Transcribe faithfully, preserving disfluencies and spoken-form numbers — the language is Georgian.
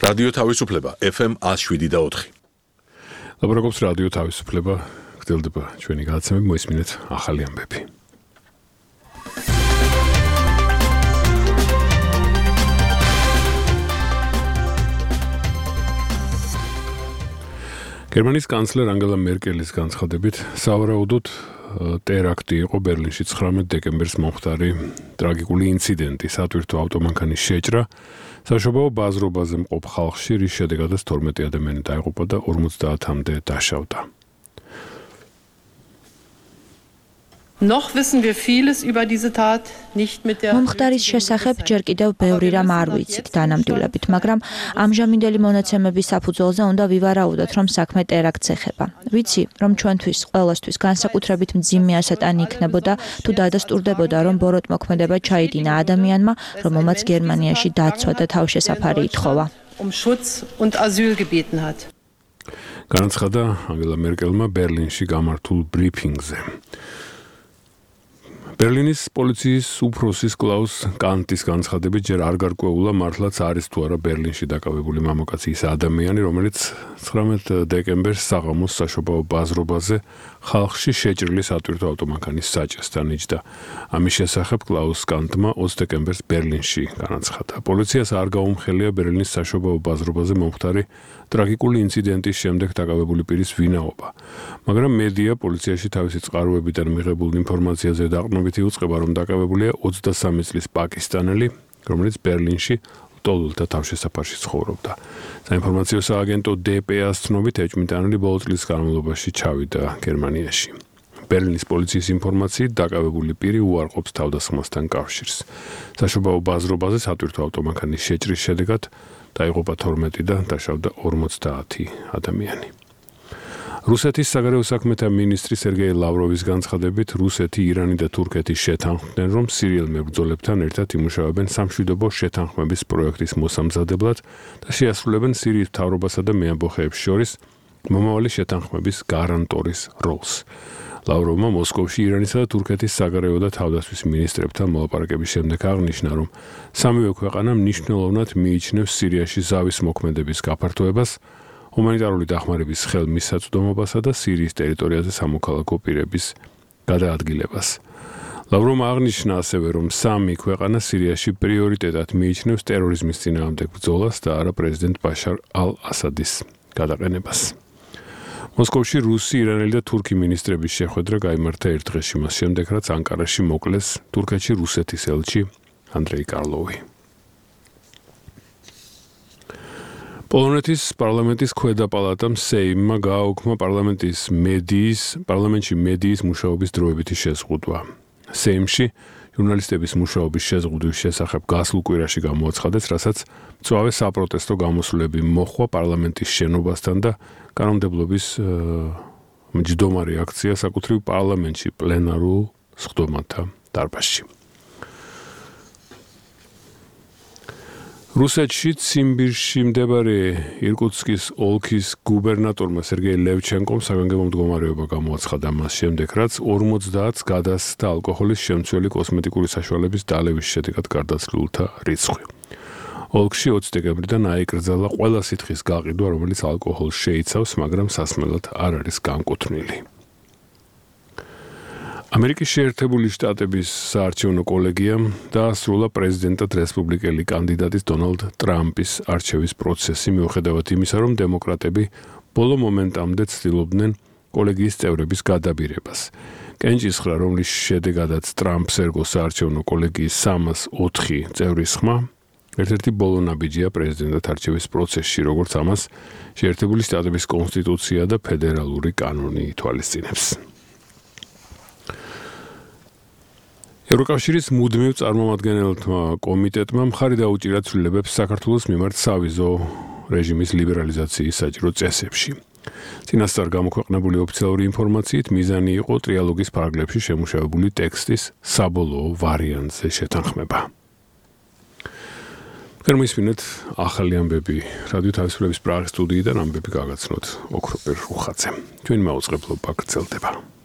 რადიო თავისუფლება F M one oh seven და four. ლაპარაკობს რადიო თავისუფლება, გრძელდება ჩვენი გადაცემები, მოისმინეთ ახალი ამბები. გერმანიის კანცლერ ანგელა მერკელის განცხადებით, სავარაუდოდ ტერაქტი იყო ბერლინში ცხრამეტ დეკემბერს მომხდარი ტრაგიკული ინციდენტი, სატვირთო ავტომანქანის შეჭრა, საშობაო ბაზრობაზე მყოფ ხალხში, რის შედეგადაც თორმეტი ადამიანი დაიღუპა და ორმოცდაათამდე დაშავდა. Noch wissen wir vieles über diese Tat nicht mit der მომხდარის შესახებ ჯერ კიდევ ბევრი რამ არ ვიცით დანამდვილებით, მაგრამ ამჟამინდელი მონაცემების საფუძველზე უნდა ვივარაუდოთ, რომ საქმე ტერაქტს ეხება. ვიცი, რომ ჩვენთვის ყველასთვის განსაკუთრებით მძიმე ასატანი იქნებოდა, თუ დადასტურდებოდა, რომ ბოროტმოქმედება ჩაიდინა ადამიანმა, რომელმაც გერმანიაში დაცვა და თავშესაფარი ითხოვა. Um Schutz und Asyl gebeten hat. განაცხადა ანგელა მერკელმა ბერლინში გამართულ ბრიფინგზე. ბერლინის პოლიციის უფროსის კლაუს კანტის განცხადებით ჯერ არ გარკვეულა მართლაც არის თუ არა ბერლინში დაკავებული მამაკაცის ადამიანი, რომელიც ცხრამეტ დეკემბერს საღამოს საშობაო ბაზრობაზე ხალხში შეჭრილი სატვირთო ავტომანქანის საჭესთან იჯდა. ამის შესახებ კლაუს კანტმა ოცი დეკემბერს ბერლინში განაცხადა. პოლიციას არ გაუმხელია ბერლინის საშობაო ბაზრობაზე მომხდარი ტრაგიკული ინციდენტის შემდეგ დაკავებული პირის ვინაობა, მაგრამ მედია პოლიციაში თავისი წყაროებიდან მიღებულ ინფორმაციაზე დაყრდნობით იუწყება, რომ დაკავებულია ოცდასამი წლის პაკისტანელი, რომელიც ბერლინში ლტოლვილთა თავშესაფარში ცხოვრობდა. საინფორმაციო სააგენტო D P A-ს ცნობით ეჭვმიტანილი ბოლო წლის განმავლობაში ჩავიდა გერმანიაში. ბერლინის პოლიციის ინფორმაციით დაკავებული პირი უარყოფს თავდასხმასთან კავშირს. საშობაო ბაზრობაზე სატვირთო ავტომანქანის შეჭრის შედეგად დაიღუპა თორმეტი და დაშავდა ორმოცდაათი ადამიანი. რუსეთის საგარეო საქმეთა მინისტრი სერგეი ლავროვის განცხადებით, რუსეთი, ირანი და თურქეთი შეთანხმდნენ, რომ სირიელ მებრძოლებთან ერთად იმუშავებენ სამშვიდობო შეთანხმების პროექტის მოსამზადებლად და შეასრულებენ სირიის მთავრობასა და მეამბოხეებს შორის მომავალი შეთანხმების გარანტორის როლს. ლავროვმა მოსკოვში ირანისა და თურქეთის საგარეო და თავდაცვის მინისტრებთან მოლაპარაკების შემდეგ აღნიშნა, რომ სამივე ქვეყანა მნიშვნელოვნად მიიჩნევს სირიაში ზავის მოქმედების გაფართოებას, ჰუმანიტარული დახმარების ხელმისაწვდომობასა და სირიის ტერიტორიაზე სამოქალაქო პირების გადაადგილებას. ლავროვმა აღნიშნა ასევე, რომ სამი ქვეყანა სირიაში პრიორიტეტად მიიჩნევს ტერორიზმის წინააღმდეგ ბრძოლას და არა პრეზიდენტ ბაშარ ალ-ასადის გადაყენებას. მოსკოვში რუსი, ირანელი და თურქი მინისტრების შეხვედრა გაიმართა ერთ დღეში მას შემდეგ, რაც ანკარაში მოკლეს თურქეთში რუსეთის ელჩი ანდრეი კარლოვი. პოლონეთის პარლამენტის ქვედა პალატამ სეიმმა გააუქმა პარლამენტის მედიის, პარლამენტში მედიის მუშაობის დროებითი შეზღუდვა. სეიმში ჟურნალისტების მუშაობის შეზღუდვის შესახებ გასულ კვირაში გამოაცხადეს, რასაც მწვავე საპროტესტო გამოსვლები მოჰყვა პარლამენტის შენობასთან და კანონმდებლობის მჯდომარი აქცია საკუთრივ პარლამენტში პლენარულ სხდომათა დარბაზში. რუსეთში ციმბირში მდებარე ირკუტსკის ოლქის გუბერნატორმა სერგეი ლევჩენკომ საგანგებო მდგომარეობა გამოაცხადა მას შემდეგ, რაც ორმოცდაათს გადასცა ალკოჰოლის შემცველი კოსმეტიკური საშუალების დალევის შედეგად გარდაცვლილთა რიცხვი. ოლქში ოცი დეკემბრიდან აიკრძალა ყველა სითხის გაყიდვა, რომელიც ალკოჰოლს შეიცავს, მაგრამ სასმელად არ არის განკუთვნილი. ამერიკის შეერთებული შტატების საარჩევნო კოლეგიამ დაასრულა პრეზიდენტად რესპუბლიკელი კანდიდატის დონალდ ტრამპის არჩევის პროცესი, მიუხედავად იმისა, რომ დემოკრატები ბოლო მომენტამდე ცდილობდნენ კოლეგიის წევრების გადაბირებას. კენჭისხრა, რომლის შედეგადაც ტრამპს ერგო საარჩევნო კოლეგიის სამას ოთხი წევრის ხმა, ერთ-ერთი ბოლო ნაბიჯია პრეზიდენტად არჩევის პროცესში, როგორც ამას შეერთებული შტატების კონსტიტუცია და ფედერალური კანონი ითვალისწინებს. ევროკავშირის მუდმივ წარმომადგენელთა კომიტეტმა მხარი დაუჭირა ცვლილებებს საქართველოს მიმართ სავიზო რეჟიმის ლიბერალიზაციის საჭირო წესებში. წინასწარ გამოქვეყნებული ოფიციალური ინფორმაციით მიზანი იყო ტრიალოგის ფარგლებში შემუშავებული ტექსტის საბოლოო ვარიანტზე შეთანხმება. გერმანიის ახალი ამბები რადიო თავისუფლების პრაღის სტუდიიდან ამბები გაგაცნოთ ოქროპერ რუხაძემ. ჩვენ მაუწყებლობა გრძელდება.